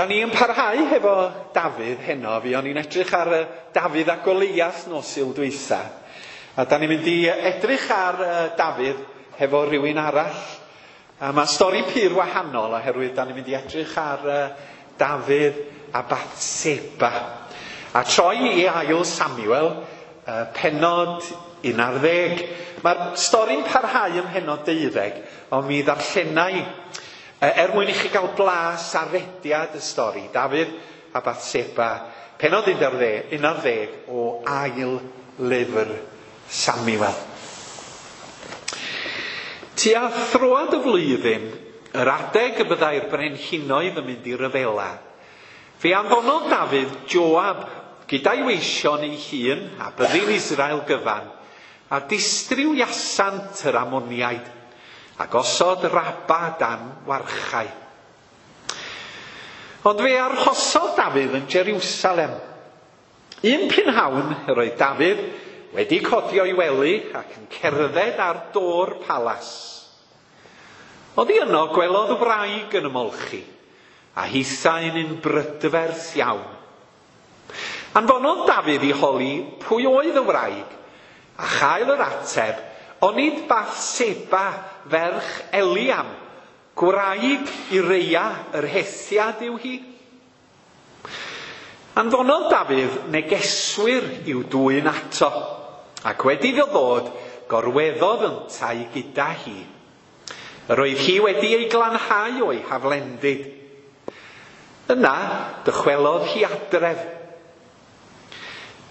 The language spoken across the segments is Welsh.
Da ni yn parhau hefo Dafydd heno. Fuon ni'n edrych ar Dafydd a Goliath nos Sul dwytha. A da ni'n mynd i edrych ar Dafydd hefo rhywun arall. A mae stori pur wahanol oherwydd da ni'n mynd i edrych ar Dafydd a Bathseba. A troi i ail Samuel, pennod 11. Mae'r stori'n parhau ym mhennod 12, ond mi ddarllenai er mwyn i chi gael blas ar rediad y stori, Dafydd a Bathseba, pennod 11 o ail lyfr Samuel. Tua throad y flwyddyn, yr adeg y byddai'r brenhinoedd yn mynd i ryfela, fe anfonodd Dafydd Joab gyda'i weision ei hun a byddin Israel gyfan, a distrywiasant yr Ammoniaid, a gosod Rabba dan warchau. Ond fe arhosodd Dafydd yn Jerusalem. Un prynhawn yr oedd Dafydd wedi codi o'i wely ac yn cerdded ar do'r palas. Oddi yno gwelodd wraig yn ymolchi, a hithau'n un brydferth iawn. Anfonodd Dafydd i holi pwy oedd y wraig, a chael yr ateb, onid Bathseba ferch Eliam, gwraig Ureia yr Hethiad yw hi? Anfonodd Dafydd negeswyr i'w dwyn ato, ac wedi iddo ddod, gorweddodd yntau gyda hi. Yr oedd hi wedi ei glanhau o'i haflendid. Yna, dychwelodd hi adref.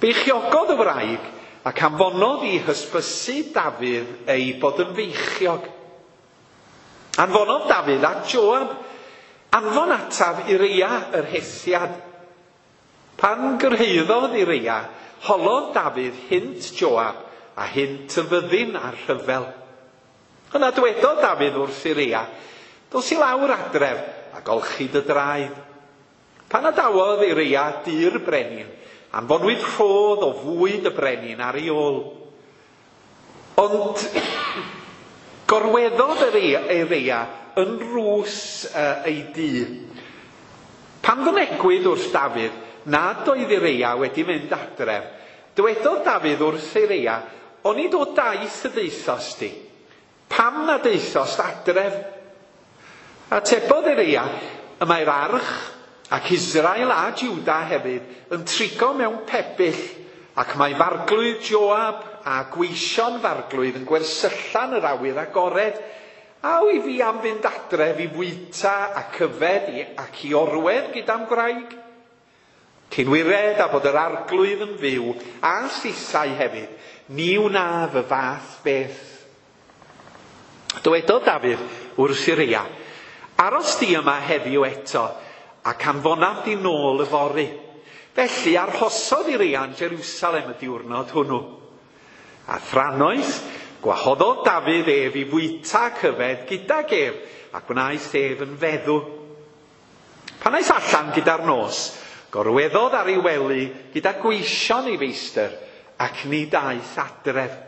Beichiogodd y wraig ac anfonodd i hysbysu Dafydd ei bod yn feichiog. Anfonodd Dafydd at Joab, anfon ataf Ureia yr Hethiad. Pan gyrhaeddodd Ureia, holodd Dafydd hynt Joab a hynt y fyddin a'r rhyfel. Yna dwedodd Dafydd wrth Ureia, dos i lawr adref a golchi dy draed. Pan adawodd Ureia dŷ'r brenin, anfonwyd rhodd o fwyd y brenin ar ei ôl. Ond gorweddodd Ureia yn rws ei dŷ. Pan fynegwyd wrth Dafydd nad oedd Ureia wedi mynd adref, dywedodd Dafydd wrth Ureia, onid o daith y daethost di? Pam na daethost adref? Atebodd Ureia, y mae'r arch ac Israel a Juda hefyd yn trigo mewn pebyll, ac mae farglwydd Joab a gweision farglwydd yn gwersyllan yr awyr agored. A wyf fi am fynd adref i fwyta ac yfed ac i orwedd gyda'm gwraig? Cyn wired a bod yr arglwydd yn fyw, a thithau hefyd, ni wnaf y fath beth. Dywedodd Dafydd wrth Ureia, aros di yma heddiw eto, ac anfonaf di nôl yfory. Felly arhosodd Ureia yn Jerusalem y diwrnod hwnnw. A thrannoeth, gwahoddodd Dafydd ef i fwyta ac yfed gydag ef, a gwnaeth ef yn feddw. Pan aeth allan gyda'r nos, gorweddodd ar ei wely gyda gweision ei feistr, ac nid aeth adref.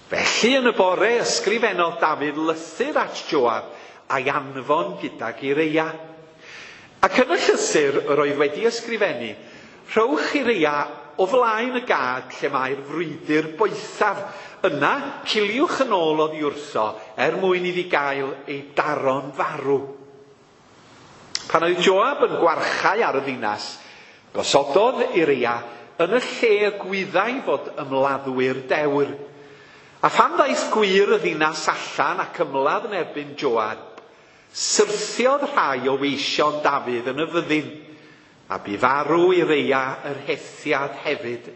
Felly yn y bore ysgrifennodd Dafydd lythyr at Joab a'i anfon gydag Ureia. Ac yn y llythyr yr oedd wedi ysgrifennu, rhowch Ureia o flaen y gad lle mae'r frwydr boethaf. Yna, ciliwch yn ôl oddi wrtho er mwyn iddi gael ei daro'n farw. Pan oedd Joab yn gwarchau ar y ddinas, gosododd Ureia yn y lle y gwyddai fod ymladdwyr dewr. A phan ddaeth gwŷr y ddinas allan ac ymladd yn erbyn Joab, syrthiodd rhai o weision Dafydd yn y fyddin, a bu farw Ureia yr Hethiad hefyd.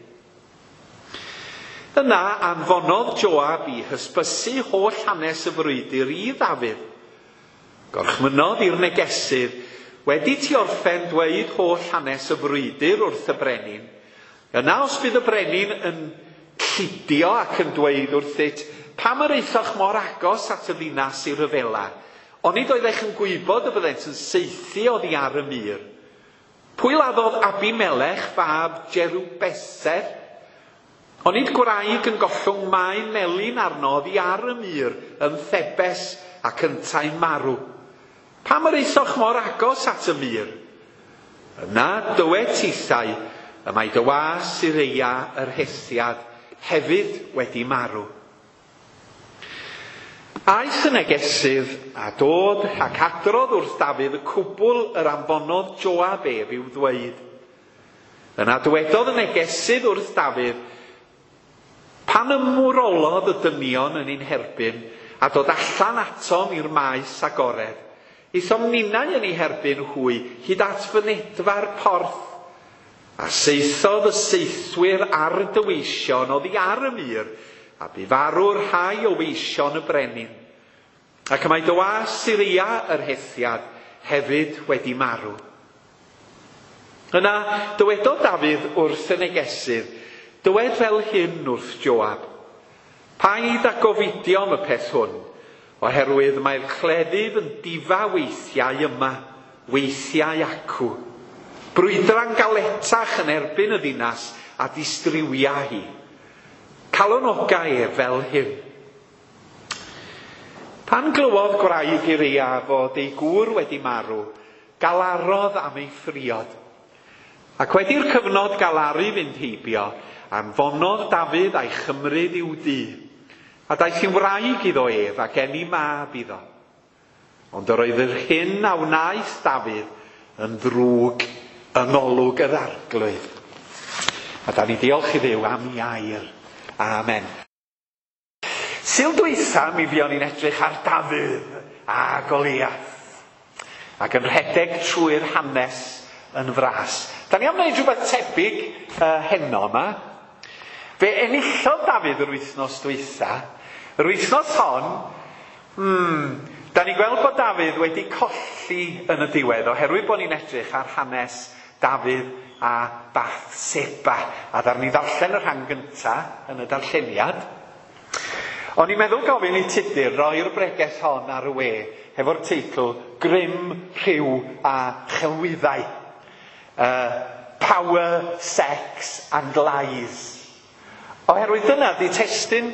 Yna anfonodd Joab i hysbysu holl hanes y frwydr i Ddafydd. Gorchmynnodd i'r negesydd, wedi ti orffen dweud holl hanes y frwydr wrth y brenin, yna os bydd y brenin yn llidio ac yn dweud wrthyt, pam yr aethoch mor agos at y ddinas i ryfela? Onid oeddech yn gwybod y byddent yn saethu oddi ar y mur? Pwy laddodd Abimelech fab Jerubeseth? Onid gwraig yn gollwng maen melyn arno oddi ar y mur yn Thebes ac yntau'n marw? Pam yr aethoch mor agos at y mur? Yna dywed tithau, y mae dy was Ureia yr Hethiad hefyd wedi marw. Aeth y negesydd a dod ac adrodd wrth Dafydd y cwbl yr anfonodd Joab ef i'w ddweud. Yna dywedodd y negesydd wrth Dafydd, Pan ymwrolodd y dynion yn ein herbyn a dod allan atom i'r maes agored, aethom ninnau yn eu herbyn hwy hyd at fynedfa'r porth. A saethodd y saethwyr ar dy weision oddi ar y mur, a bu farw rhai o weision y brenin. Ac y mae dy was Ureia yr Hethiad hefyd wedi marw. Yna dywedodd Dafydd wrth y negesydd, Dywed fel hyn wrth Joab, Paid â gofidio am y peth hwn, oherwydd mae'r cleddyf yn difa weithiau yma, weithiau acw. Brwydra'n galetach yn erbyn y ddinas a distriwia hi. Calonoga ef fel hyn. Pan glywodd gwraig Ureia fod ei gŵr wedi marw, galarodd am ei phriod. Ac wedi'r cyfnod galaru fynd heibio, anfonodd Dafydd a'i chymryd i'w dŷ. A daeth hi'n wraig iddo ef ac eni mab iddo. Ond yr oedd yr hyn a wnaeth Dafydd yn ddrwg yng ngolwg yr Arglwydd. A da ni diolch i Dduw am ei air. Amen. Sul dwytha mi fuon ni'n edrych ar Dafydd a Goliath ac yn rhedeg trwy'r hanes yn fras. Da ni am wneud rhywbeth tebyg heno yma. Fe enillodd Dafydd yr wythnos dwytha. Yr wythnos hon, da ni'n gweld bod Dafydd wedi colli yn y diwedd oherwydd bod ni'n edrych ar hanes Dafydd a Bathseba. A ddaru ni ddarllen y rhan gynta yn y darlleniad. O'n i'n meddwl gofyn i Tudur roi'r bregeth hon ar y we hefo'r teitl Grym, Rhyw a Chelwyddau. Power, Sex and Lies. Oherwydd dyna 'di testun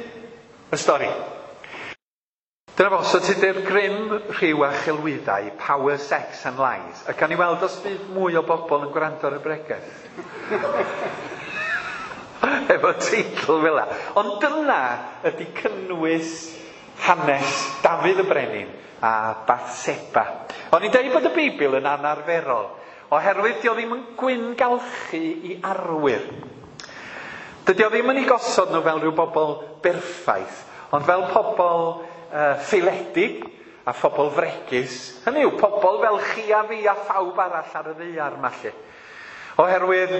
y stori. Dyna fo, so Tudur, Grym, Rhyw a Chelwyddau, Power, Sex and Lies. A gawn ni weld os fydd mwy o bobl yn gwrando ar y bregeth. Efo teitl fel 'na. Ond dyna ydy cynnwys hanes Dafydd y Brenin a Bathseba. O'n i'n deud bod y Beibl yn anarferol, oherwydd 'di o ddim yn gwyngalchu i arwyr. Dydy o ddim yn eu gosod nhw fel rhyw bobl berffaith, ond fel pobl ffaeledig a phobl fregus. Hynny yw, pobl fel chi a fi a phawb arall ar y ddaear 'ma 'lly. Oherwydd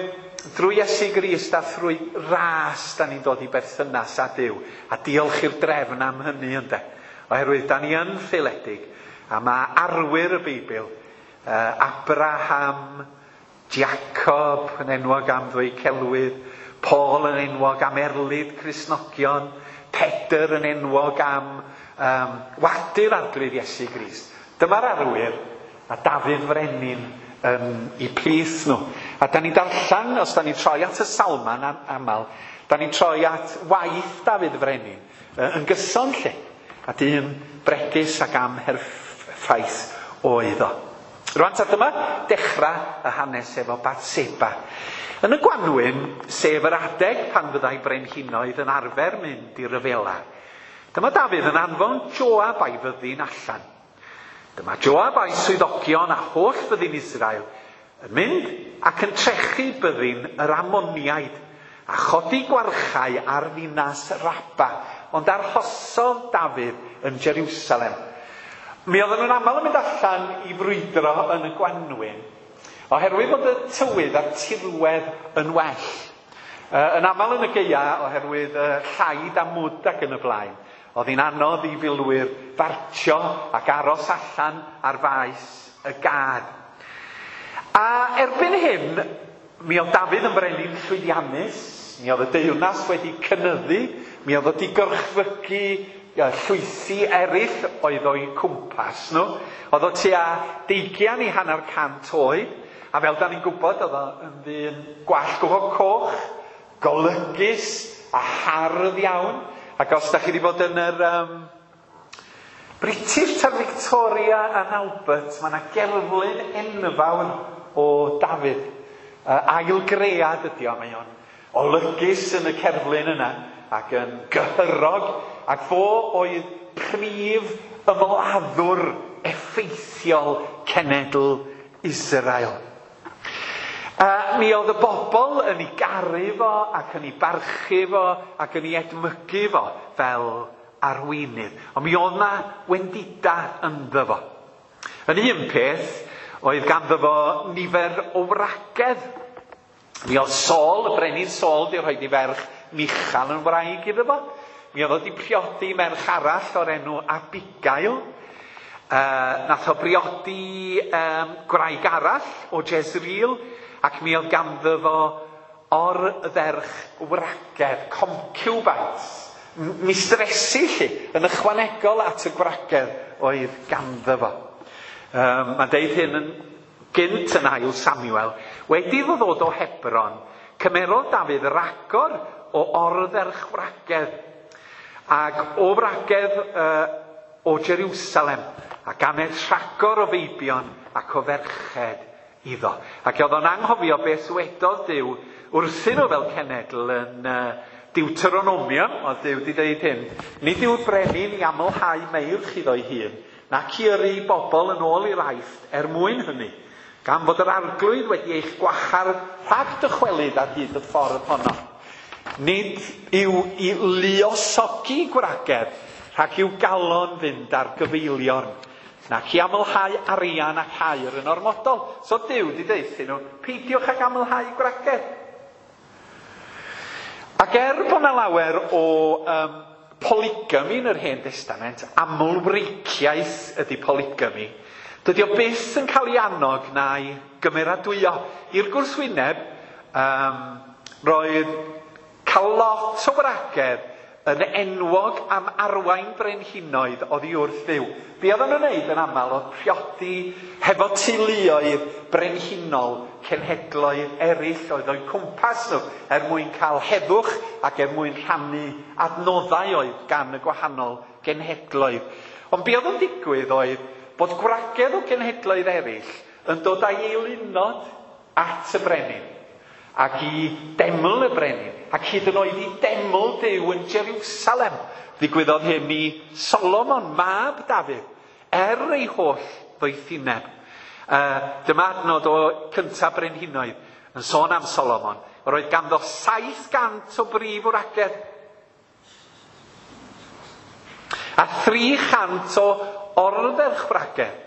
drwy Iesu Grist a thrwy ras da ni'n dod i berthynas â Duw, a diolch i'r drefn am hynny ynde. Oherwydd da ni yn ffaeledig, a mae arwyr y Beibl, Abraham, Jacob yn enwog am ddweud celwydd, Paul yn enwog am erlid Cristnogion, Pedr yn enwog am wadu'r Arglwydd Iesu Grist. Dyma'r arwyr, a Dafydd Frenin yn eu plith nhw. A da ni'n darllen, os da ni'n troi at y Salmau'n aml, da ni'n troi at waith Dafydd Frenin yn gyson lle. A dyn bregus ac amherffaith oedd o. Rwan ta dyma dechrau y hanes efo Bathseba. Yn y gwanwyn, sef yr adeg pan fyddai brenhinoedd yn arfer mynd i ryfela, dyma Dafydd yn anfon Joab a'i fyddin allan. Dyma Joab a'i swyddogion a holl fyddin Israel yn mynd ac yn trechu byddin yr Ammoniaid, a chodi gwarchau ar ddinas Rabba, ond arhosodd Dafydd yn Jeriwsalem. Mi oedden nhw'n aml yn mynd allan i frwydro yn y gwanwyn, oherwydd bod y tywydd a'r tirwedd yn well. Yn aml yn y gaea, oherwydd llaid a mwd ac yn y blaen. Oedd hi'n anodd i filwyr fartsio ac aros allan ar faes y gad. A erbyn hyn, mi oedd Dafydd yn frenin llwyddiannus, mi oedd y deyrnas wedi cynyddu, mi oedd wedi gorchfygu llwythi eraill oedd o'i cwmpas nhw. Oedd o tua 200 i 500 oed, a fel da ni'n gwybod, oedd o yn ddyn gwallt go coch, golygus a hardd iawn. Ac os da chi wedi bod yn yr British ta'r Victoria and Albert, mae yna gerflun enfawr o Dafydd. Ailgread ydi o, mae o'n olygus yn y cerflun yna ac yn gyhyrog, ac fo oedd prif ymladdwr effeithiol cenedl Israel. Mi oedd y bobl yn ei garu fo ac yn ei barchu fo ac yn ei edmygu fo fel arweinydd. Ond mi oedd 'na wendida ynddo fo. Yn un peth, oedd ganddo fo nifer o wragedd. Mi oedd Saul, y brenin Saul, 'di rhoi ei ferch Michal yn wraig iddo fo. Mi oedd o 'di priodi merch arall o'r enw Abigail. Nath o briodi gwraig arall o Jezreel, ac mi oedd ganddo fo ordderch wragedd, concubines, mistresi 'lly, yn ychwanegol at y gwragedd oedd ganddo fo. Mae'n deud hyn yn gynt yn ail Samuel. Wedi iddo ddod o Hebron, cymerodd Dafydd ragor o ordderch wragedd, ac o wragedd o Jerusalem, a ganed rhagor o feibion ac o ferched iddo. Ac oedd o'n anghofio beth ddwedodd Duw wrthyn nhw fel cenedl yn Deuteronomium, oedd Duw wedi dweud hyn: nid yw'r brenin i amlhau meirch iddo'i hun, nac i yrru bobl yn ôl i'r Aifft er mwyn hynny, gan fod yr Arglwydd wedi eich gwahardd rhag dychwelyd ar hyd y ffordd honno. Nid yw i luosogi gwragedd rhag i'w galon fynd ar gyfeiliorn, nac i amlhau arian ac aur yn ormodol. So Duw wedi deuthyn nhw, peidiwch ag amlhau gwragedd. Ac er bod 'na lawer o polygamy yn yr Hen Destament, amlwreiciaeth ydy polygamy, dydy o byth yn cael ei annog na'i gymeradwyo. I'r gwrthwyneb, roedd cael lot o wragedd yn enwog am arwain brenhinoedd oddi wrth Dduw. Be oedden nhw'n wneud yn aml oedd priodi hefo teuluoedd brenhinol cenhedloedd eraill oedd o'u cwmpas nhw, er mwyn cael heddwch ac er mwyn rhannu adnoddau oedd gan y gwahanol genhedloedd. Ond be oedd yn digwydd oedd bod gwragedd o genhedloedd eraill yn dod â'i eilunod at y brenin, ac i deml y brenin, ac hyd yn oed i deml Duw yn Jerusalem. Ddigwyddodd hyn i Solomon, mab Dafydd, er ei holl ddoethineb. Dyma adnod o cyntaf Brenhinoedd yn sôn am Solomon. Yr oedd ganddo 700 o brif wragedd a 300 o ordderchwragedd.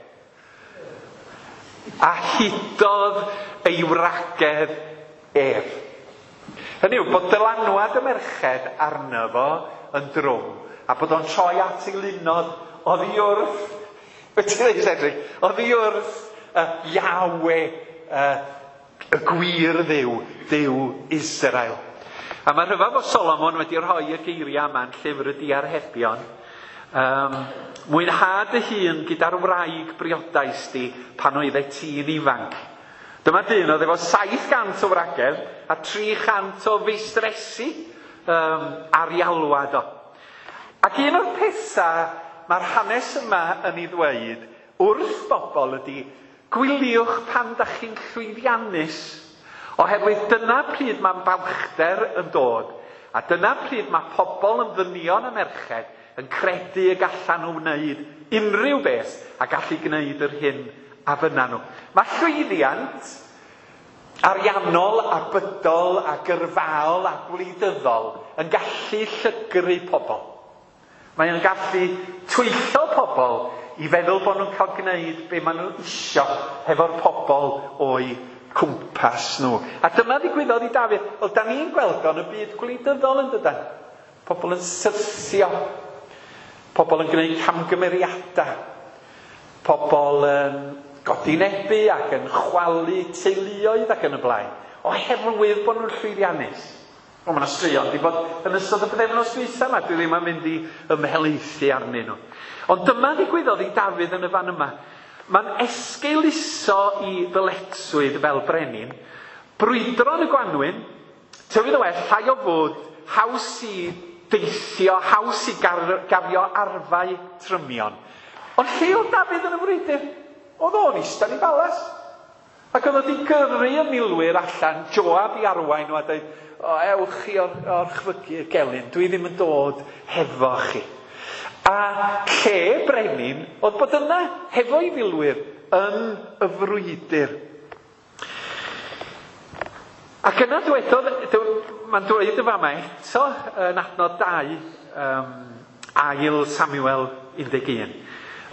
A hudodd ei wragedd ef. Hynny yw, bod dylanwad y merched arno fo yn drwm, a bod o'n troi at ei lunod oddi wrth, beth ti'n dweud, Cedric? Oddi wrth Yahweh, y gwir Dduw, Duw Israel. A mae rhyfedd bod Solomon wedi rhoi y geiriau yma yn llyfr y Diarhebion. Mwynha dy hun gyda'r wraig briodais di pan oeddet ti'n ifanc. Dyma dyn oedd efo 700 o wragedd a 300 o feistresi ar ei alwad o. Ac un o'r pethau mae'r hanes yma yn ei ddweud wrth bobl ydy, gwyliwch pan da chi'n llwyddiannus, oherwydd dyna pryd mae'n balchder yn dod, a dyna pryd mae pobl yn ddynion a merched yn credu y gallan nhw wneud unrhyw beth a gallu gwneud yr hyn a fynna nhw. Mae llwyddiant ariannol a bydol a gyrfaol a gwleidyddol yn gallu llygru pobl. Mae o'n gallu twyllo pobl i feddwl bod nhw'n cael gwneud be maen nhw isio hefo'r pobl o'u cwmpas nhw. A dyma ddigwyddodd i Dafydd. Wel, da ni'n gweld o'n y byd gwleidyddol yn dydan. Pobl yn syrthio. Pobl yn gwneud camgymeriadau. Pobl yn godinebu ac yn chwalu teuluoedd ac yn y blaen, oherwydd bod nhw'n llwyddiannus. Wel, mae yna straeon wedi bod yn ystod y pythefnos dwytha yma, dwi ddim yn mynd i ymhelaethu arnyn nhw. Ond dyma ddigwyddodd i Dafydd yn y fan yma. Mae'n esgeuluso i ddyletswydd fel brenin, brwydro yn y gwanwyn, tywydd o well, llai o fwd, haws i deithio, haws i gario arfau trymion. Ond lle oedd Dafydd yn y frwydr? Oedd o'n eistedd yn ei balas. Ac oedd o wedi gyrru y milwyr allan, Joab i arwain nhw a dweud, o, ewch chi o'r orchfygu y gelyn, dwi ddim yn dod hefo chi. A lle brenin oedd bod yna hefo'i filwyr yn y frwydr. Ac yna dwedodd, mae'n dweud y fama eto yn adnod 2, ail Samuel 11.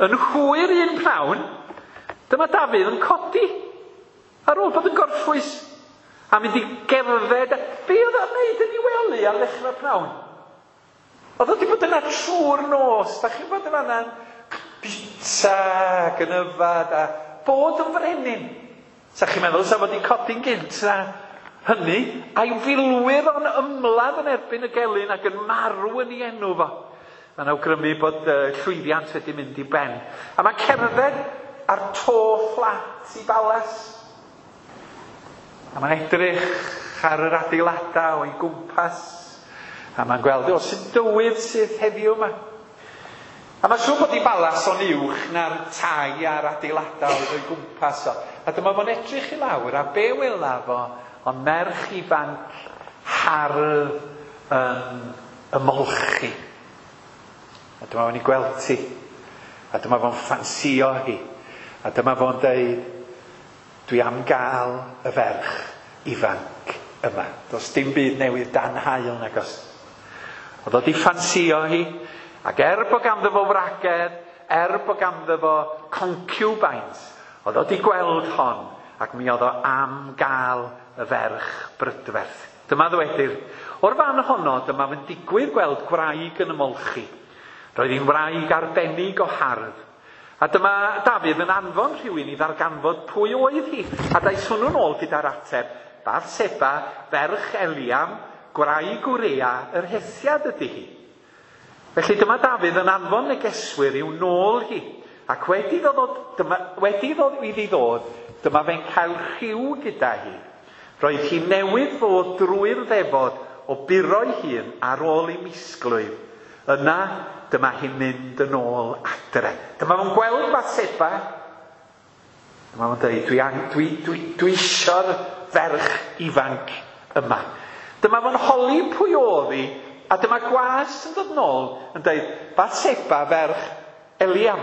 Yn hwyr un pnawn, dyma Dafydd yn codi ar ôl bod yn gorffwys a mynd i gerdded. Be oedd o'n neud yn ei wely ar ddechrau pnawn? Oedd o wedi bod yna trwy'r nos. Da chi'n bod yn fanna'n bita ac yn yfad a bod yn frenin. Sa chi'n meddwl sa fod wedi codi'n gynt na hynny, a'i filwyr o'n ymladd yn erbyn y gelyn ac yn marw yn ei enw fo. Mae'n awgrymu bod llwyddiant wedi mynd i ben. A mae cerdded ar to fflat i balas. A mae'n edrych ar yr adeiladau o'i gwmpas. A mae'n gweld, o, sy'n dywydd sydd heddiw yma. A mae'n siŵr bod i balas o'n uwch na'r tai a'r adeiladau oedd o'i gwmpas o. A dyma fo'n edrych i lawr, a be wela fo, ond merch ifanc hardd yn ymolchi. A dyma fo'n ei gweld ti. A dyma fo'n ffansio hi. A dyma fo'n deud, dwi am gael y ferch ifanc yma. Does dim byd newydd dan haul nag oes. Oedd o di ffansio hi, ac er bod ganddo fo wragedd, er bod ganddo fo concubines, oedd o di gweld hon, ac mi oedd o am gael y ferch brydferth. Dyma ddwedir, o'r fan honno, dyma fe'n digwydd gweld gwraig yn ymolchi. Roedd hi'n wraig arbennig o hardd. A dyma Dafydd yn anfon rhywun i ddarganfod pwy oedd hi. A daeth hwnnw'n ôl gyda'r ateb, Bathseba, ferch Eliam, gwraig Wrea, yr Hethiad ydy hi. Felly dyma Dafydd yn anfon negeswyr i'w nôl hi. Ac wedi iddi ddod, dyma fe'n cael rhyw gyda hi. Roedd hi newydd fod drwy'r ddefod o buro'i hun ar ôl ei misglwyf. Yna, dyma hi'n mynd yn ôl adre. Dyma fo'n gweld Bathseba. Dyma fo'n dweud, dwi isio'r ferch ifanc yma. Dyma fo'n holi pwy oedd hi, a dyma gwas yn dod nôl yn dweud, Bathseba ferch Eliam.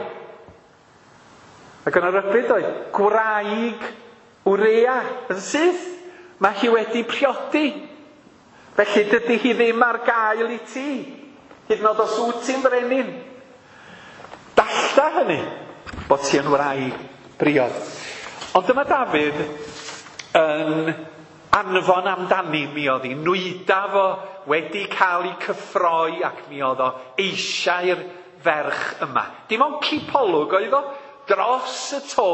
Ac yna rybudd oedd, gwraig Wrea yn syth. Mae hi wedi priodi. Felly dydy hi ddim ar gael i ti. Hyd yn oed os wyt ti'n frenin. Dalla hynny, bod ti yn wraig briod. Ond dyma Dafydd yn anfon amdani, mi oedd hi nwyda fo wedi cael ei cyffroi ac mi oedd o eisiau'r ferch yma. Dim ond cipolwg oedd o dros y to,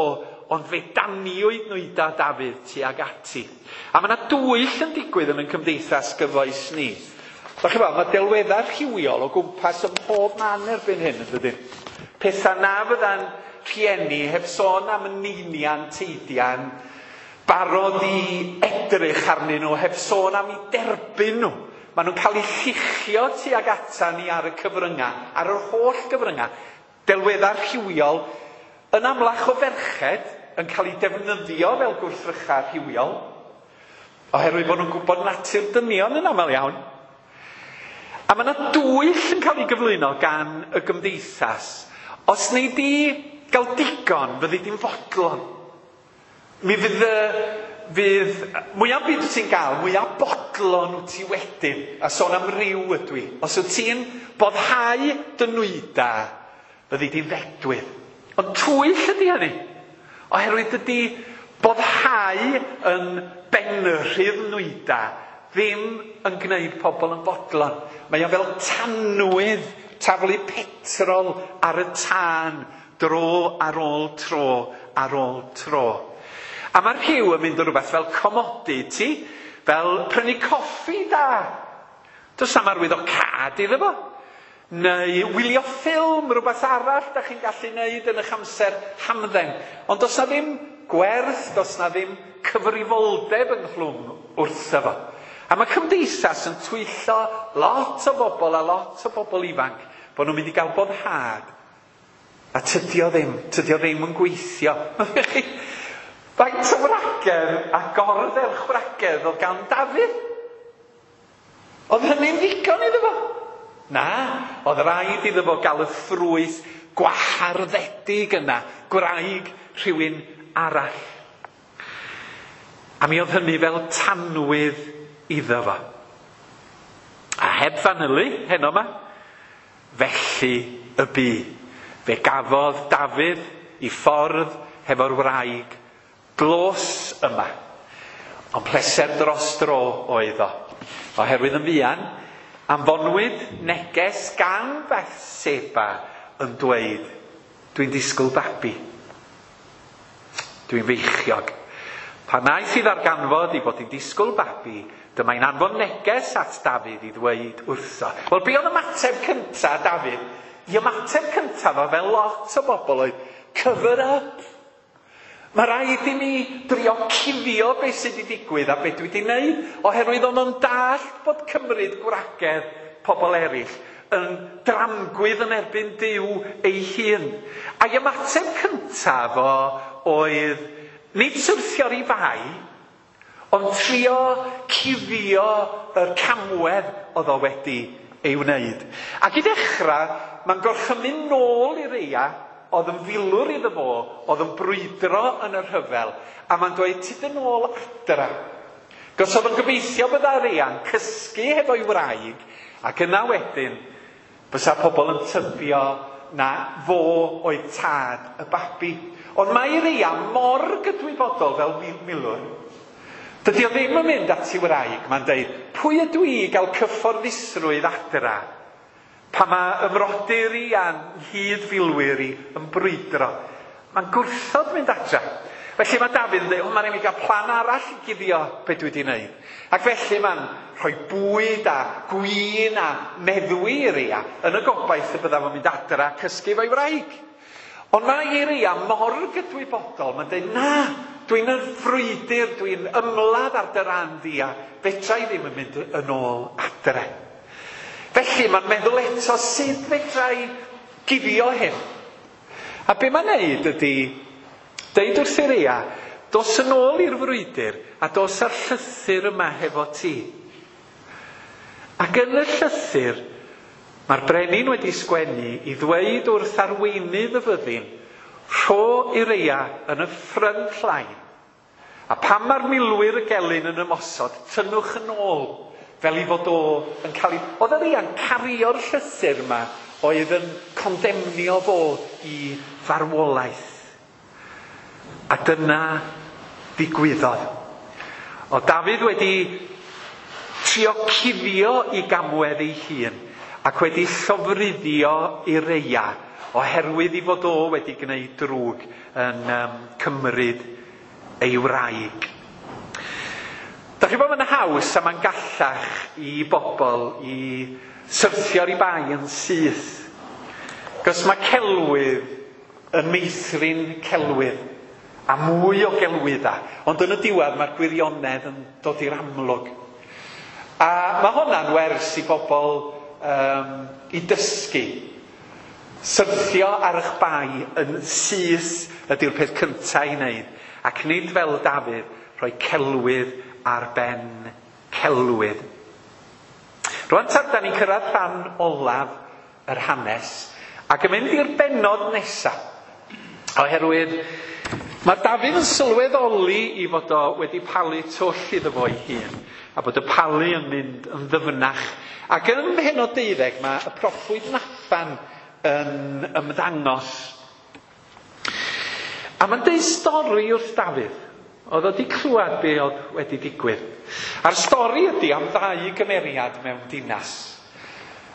ond fe daniwyd nwyda Dafydd tuag ati. A mae yna dwyll yn digwydd yn ein cymdeithas gyfoes ni. Da chi fel, mae delweddau rhywiol o gwmpas ym mhob man erbyn hyn, yn dydyn? Pethau na fydda'n rhieni heb sôn am neinian, teidian, barod i edrych arnyn nhw, heb sôn am i derbyn nhw. Maen nhw'n cael eu lluchio tuag ata ni ar y cyfryngau, ar yr holl gyfryngau. Delweddau rhywiol yn amlach o ferched yn cael eu defnyddio fel gwrthrychau rhywiol, oherwydd bod nhw'n gwybod natur dynion yn aml iawn. A mae yna dwyll yn cael ei gyflwyno gan y gymdeithas. Os wnei di gael digon, fyddi di'n fodlon. Mi fydd mwyaf byd wyt ti'n gael, mwyaf bodlon wyt ti wedyn. A sôn am ryw ydw i. Os wyt ti'n boddhau dy nwyda, fyddi di'n ddedwydd. Ond twyll ydy hynny. Oherwydd dydy boddhau yn benrhydd nwyda ddim yn gwneud pobl yn bodlon. Mae o fel tanwydd, taflu petrol ar y tân, dro ar ôl tro, ar ôl tro. A mae'r rhyw yn mynd o rhywbeth fel commodity, fel prynu coffi da. Does am arwydd o cad iddo fo. Neu wylio ffilm, rhywbeth arall da chi'n gallu neud yn eich amser hamdden. Ond does na ddim gwerth, does na ddim cyfrifoldeb ynghlwm wrtho fo. A mae cymdeithas yn twyllo lot o bobl a lot o bobl ifanc bod nhw'n mynd i gael boddhad. A tydi o ddim yn gweithio. Faint o wragedd a gordderchwragedd oedd gan Dafydd? Oedd hynny'n ddigon iddo fo? Na, oedd rhaid iddo fo gael y ffrwyth gwaharddedig yna, gwraig rhywun arall. A mi oedd hynny fel tanwydd iddo fo. A heb fanylu heno yma, felly y bu. Fe gafodd Dafydd i ffordd hefo'r wraig glos yma. Ond pleser dros dro oedd o. Oherwydd yn fuan, anfonwyd neges gan Bethseba yn dweud, dwi'n disgwyl babi. Dwi'n feichiog. Pan aeth i ddarganfod ei bod hi'n disgwyl babi, dyma'n anfon neges at Dafydd i ddweud wrtho. Wel, be oedd ymateb cyntaf Dafydd? I ymateb cyntaf o fel lot o bobl oedd, cover up. Mae rhaid i mi drio cuddio beth sydd wedi digwydd a beth dwi wedi wneud, oherwydd o'n nhw'n dallt bod cymryd gwragedd pobl eraill yn dramgwydd yn erbyn Duw ei hun. A'i ymateb cyntaf o oedd nid syrthio'r i fai, ond trio cuddio yr camwedd oedd o wedi ei wneud. Ac i ddechrau, mae'n gorchymyn nôl i Reia, oedd yn filwr iddo fo, oedd yn brwydro yn y rhyfel, a mae'n dweud, tyd yn ôl adra. Gos oedd yn gobeithio bydda Reia'n cysgu hefo'i wraig, ac yna wedyn, bysa pobl yn tybio na fo oedd tad y babi. Ond mae Reia mor gydwybodol fel milwr. Dydy o ddim yn mynd at ei wraig, mae'n deud, pwy ydw i gael cyfforddusrwydd adra? Pa mae ymrodyr i a'n hyd-filwyr i yn brwydro. Mae'n gwrthod mynd adra. Felly mae Dafydd yn dweud, o, mae'n rhaid i mi gael plan arall i guddio beth dwi wedi wneud. Ac felly mae'n rhoi bwyd a gwin a meddwi i Reia yn y gobaith y bydda fo'n mynd adra a cysgu efo'i wraig. Ond mae Reia mor gydwybodol, mae'n dweud, na, dwi'n yn frwydr, dwi'n ymladd ar dy ran di a fedra i ddim yn mynd yn ôl adre. Felly mae'n meddwl eto sut fedra i guddio hyn. A be mae'n neud ydy, deud wrth i Reia, dos yn ôl i'r frwydr a dos â'r llythyr yma hefo ti. Ac yn y llythyr, mae'r brenin wedi sgwennu i ddweud wrth arweinydd y fyddin, rho i Reia yn y front line. A pan mae'r milwyr y gelyn yn ymosod, tynnwch yn ôl, fel i fod o yn cael ei... Oedd y Reia'n cario'r llythyr yma oedd yn condemnio fo i farwolaeth. A dyna ddigwyddodd. Oedd Dafydd wedi trio cuddio i gamwedd ei hun ac wedi llofruddio i Reia oherwydd i fod o wedi gwneud drwg yn cymryd ei wraig. Dach chi'n bod yn haws a mae'n gallach i bobl i syrthio'r i bai yn syth. Cos mae celwydd yn meithrin celwydd a mwy o gelwydda. Ond yn y diwedd mae'r gwirionedd yn dod i'r amlwg. A mae hwnna'n wers i bobl i dysgu. Syrthio ar eich bai yn syth ydy'r peth cyntaf i wneud. Ac nid fel Dafydd, rhoi celwydd ar ben celwydd. Rwan ta, da ni'n cyrraedd rhan olaf yr hanes ac yn mynd i'r bennod nesaf. Oherwydd mae Dafydd yn sylweddoli i fod o wedi palu twll iddo fo ei hun a bod y palu yn mynd yn ddyfnach. Ac yn mhennod 12 mae y proffwyd Nathan yn ymddangos. A mae'n deud stori wrth Dafydd. Oedd o wedi clywed be oedd wedi digwydd. A'r stori ydy am ddau gymeriad mewn dinas.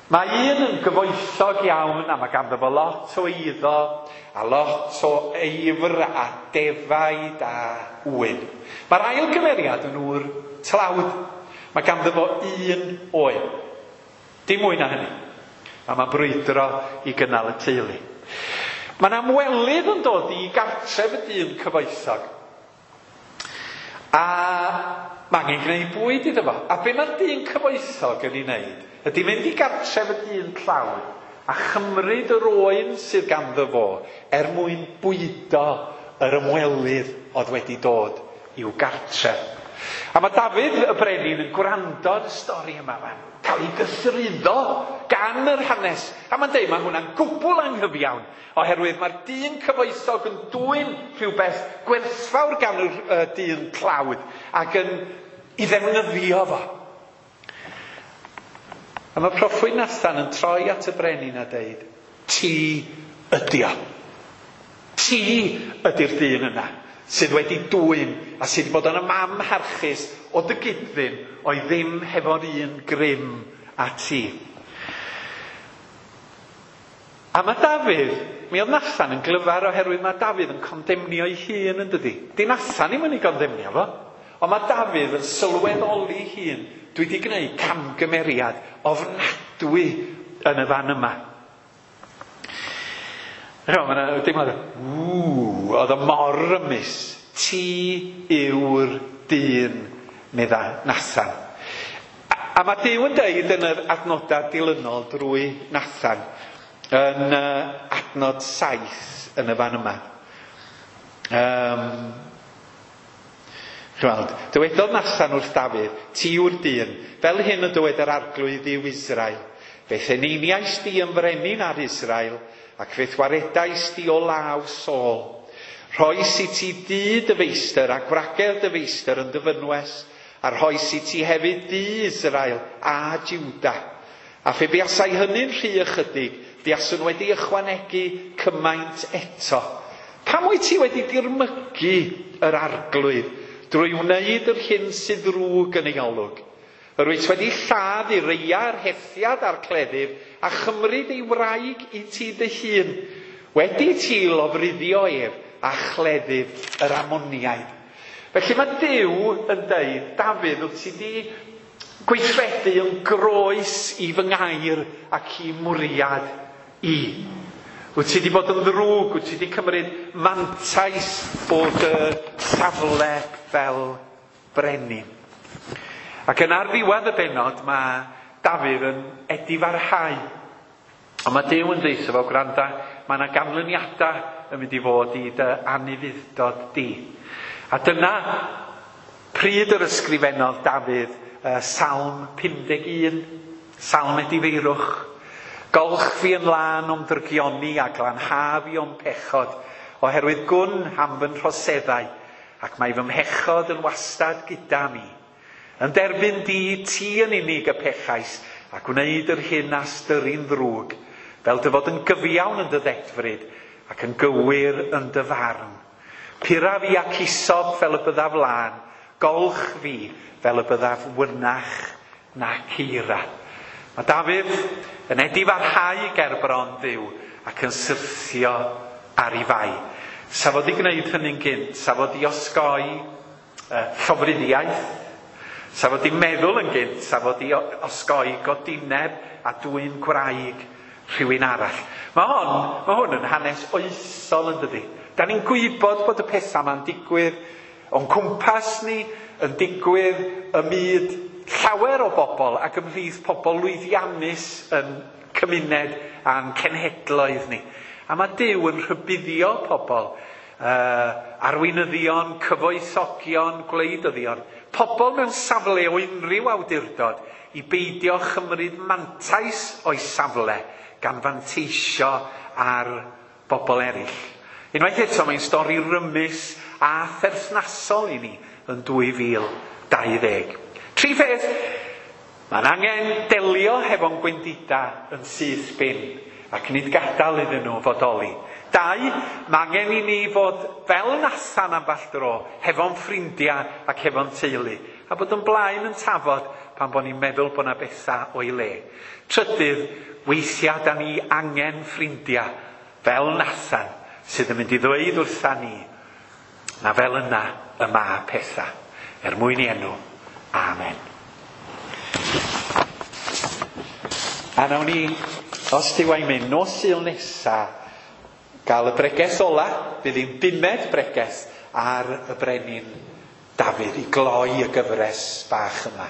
Mae un yn gyfoethog iawn a mae ganddo fo lot o eiddo a lot o eifr a defaid a ŵyn. Mae'r ail gymeriad yn ŵr tlawd. Mae ganddo fo un oen. Dim mwy na hynny. A mae'n brwydro i gynnal y teulu. Mae'n amwelydd yn dod i gartref y dyn cyfoethog. A mae angen gwneud bwyd iddo fo. A be mae'r dyn cyfoethog yn ei wneud ydy mynd i gartref y dyn tlawd a chymryd yr oen sydd ganddo fo er mwyn bwydo yr ymwelydd oedd wedi dod i'w gartref. A mae Dafydd y brenin yn gwrando ar y stori yma. Mae'n cael ei gythruddo gan yr hanes. A mae'n deud mae hwnna'n gwbl anghyfiawn, oherwydd mae'r dyn cyfoethog yn dwyn rhywbeth gwerthfawr gan y dyn tlawd ac yn ei ddefnyddio fo. A mae proffwyd Nathan yn troi at y brenin a deud, ti ydi o. Ti ydy'r dyn yna sydd wedi dwyn a sydd wedi bod yn amharchus o dy gyd-ddyn oedd ddim hefo'r un grym a ti. A mae Dafydd, mi oedd Nathan yn glyfar oherwydd mae Dafydd yn condemnio ei hun yn dydi. Di Nathan ddim yn ei gondemnio fo, ond mae Dafydd yn sylweddoli hun. Dwi wedi gwneud camgymeriad ofnadwy yn y fan yma. Mae yna deimlad, oedd o mor rymus. Ti yw'r dyn, medda Nathan. A mae Duw yn deud yn yr adnodau dilynol drwy Nathan, yn adnod 7 yn y fan yma. Chweld, dywedodd Nathan wrth Dafydd, ti yw'r dyn, fel hyn y dywed yr arglwydd i'w Israel. Fe'th eneiniais di yn frenin ar Israel, ac fe'th waredais di o law Saul. Rhoes i ti dŷ dy feistr a gwragedd dy feistr yn dy fynwes, a rhoes i ti hefyd dŷ Israel a Juda. A phe buasai hynny'n rhy ychydig, buaswn wedi ychwanegu cymaint eto. Pam wyt ti wedi dirmygu yr arglwydd drwy wneud yr hyn sydd ddrwg yn ei olwg? Yr wyt wedi lladd Ureia yr Hethiad a'r cleddyf a chymryd ei wraig i ti dy hun, wedi ti lofruddio ef a chleddyf yr Ammoniaid. Felly mae Duw yn deud, Dafydd, wyt ti di gweithredu yn groes i fy ngair ac i mwriad i. Wyt ti di bod yn ddrwg, wyt ti di cymryd mantais o dy safle fel brenin. Ac yn ar ddiwedd y bennod mae Dafydd yn edifarhau. Ond mae Duw yn deud fo, gwranda, mae yna ganlyniadau yn mynd i fod i dy anufudd-dod di. A dyna pryd yr ysgrifennodd Dafydd Salm 51, Salm Edifeirwch. Golch fi yn lân o'm drygioni a glanha fi o'm pechod, oherwydd gwn am fy nhroseddau, ac mae fy mhechod yn wastad gyda mi. Yn derbyn di, ti yn unig y pechais, a gwneud yr hyn a styri'n ddrwg, fel dy fod yn gyfiawn yn dy ddedfryd, ac yn gywir yn dy farn. Pura fi ac isop fel y byddaf lân, golch fi fel y byddaf wynach na ceira. Mae Dafydd yn edifarhau gerbron Dduw ac yn syrthio ar ei fai. Sa fo 'di gwneud hynny'n gynt, sa fo 'di osgoi llofruddiaeth, sa fo 'di meddwl yn gynt, sa fo 'di osgoi godineb a dwyn gwraig rhywun arall. Mae hwn yn hanes oesol yn dydi. Da ni'n gwybod bod y pethau yma'n digwydd o'n cwmpas ni, yn digwydd ym myd llawer o bobl ac ymhlith pobl lwyddiannus yn cymuned a'n cenhedloedd ni. A mae Duw yn rhybuddio pobl, arweinyddion, cyfoethogion, gwleidyddion, pobl mewn safle o unrhyw awdurdod i beidio chymryd mantais o'i safle gan fanteisio ar bobl eraill. Unwaith eto mae'n stori rymus a pherthnasol i ni yn 2020. Tri pheth, mae'n angen delio hefo'n gwendida yn syth bin ac nid gadael iddyn nhw fodoli. Dau, mae angen i ni fod fel Nathan ambell dro, hefo'n ffrindiau ac hefo'n teulu, a bod yn blaen yn tafod pan bod ni'n meddwl bod 'na bethau o'i le. Trydydd, weithiau da ni angen ffrindiau fel Nathan sydd yn mynd i ddweud wrtha ni na fel yna y mae pethau. Er mwyn i enw. Amen. A nawn ni, os Duw a'i mynd, nos Sul nesa, gael y bregeth ola, bydd hi'n bumed bregeth ar y brenin Dafydd i gloi y gyfres bach yma.